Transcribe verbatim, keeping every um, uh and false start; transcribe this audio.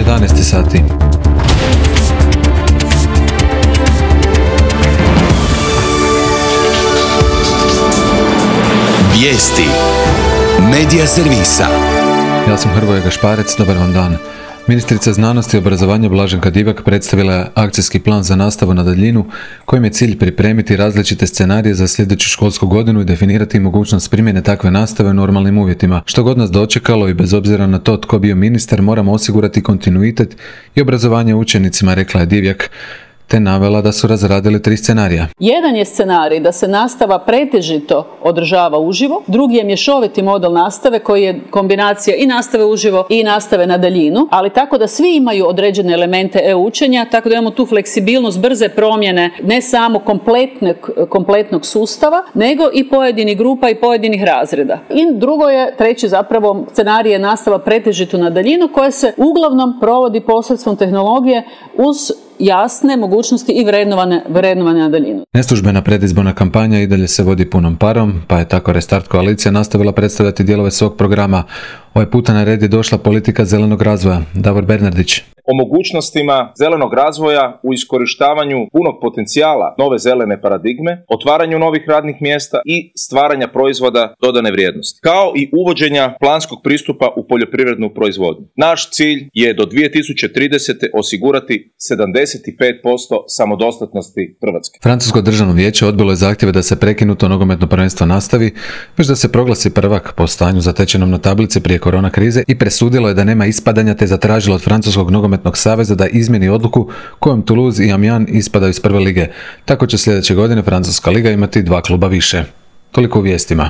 jedanaest sati. Vijesti Medija servisa. Ja sam Hrvoje Gašparec, dobar vam dan. Ministrica znanosti i obrazovanja Blaženka Divjak predstavila je akcijski plan za nastavu na daljinu, kojim je cilj pripremiti različite scenarije za sljedeću školsku godinu i definirati mogućnost primjene takve nastave u normalnim uvjetima. Što god nas dočekalo i bez obzira na to tko bio ministar, moramo osigurati kontinuitet i obrazovanje učenicima, rekla je Divjak, te navela da su razradili tri scenarija. Jedan je scenarij da se nastava pretežito održava uživo, drugi je mješoviti model nastave koji je kombinacija i nastave uživo i nastave na daljinu, ali tako da svi imaju određene elemente e-učenja, tako da imamo tu fleksibilnost, brze promjene ne samo kompletnog, kompletnog sustava, nego i pojedinih grupa i pojedinih razreda. I drugo je, treći zapravo scenarij je nastava pretežito na daljinu koja se uglavnom provodi posredstvom tehnologije uz jasne mogućnosti i vrednovane, vrednovane na daljinu. Neslužbena predizborna kampanja i dalje se vodi punom parom, pa je tako Restart koalicija nastavila predstavljati dijelove svog programa. Ovaj puta na red je došla politika zelenog razvoja. Davor Bernardić. O mogućnostima zelenog razvoja u iskorištavanju punog potencijala nove zelene paradigme, otvaranju novih radnih mjesta i stvaranja proizvoda dodane vrijednosti, kao i uvođenja planskog pristupa u poljoprivrednu proizvodnju. Naš cilj je do dvije tisuće tridesete osigurati sedamdeset pet posto samodostatnosti Hrvatske. Francusko državno vijeće odbilo je zahtjeve da se prekinuto nogometno prvenstvo nastavi, već da se proglasi prvak po stanju zatečenom na tablici prije korona krize i presudilo je da nema ispadanja, te zatražilo od Francuskog nogometnog saveza da izmjeni odluku kojom Toulouse i Amiens ispadaju iz prve lige. Tako će sljedeće godine Francuska liga imati dva kluba više. Toliko u vijestima.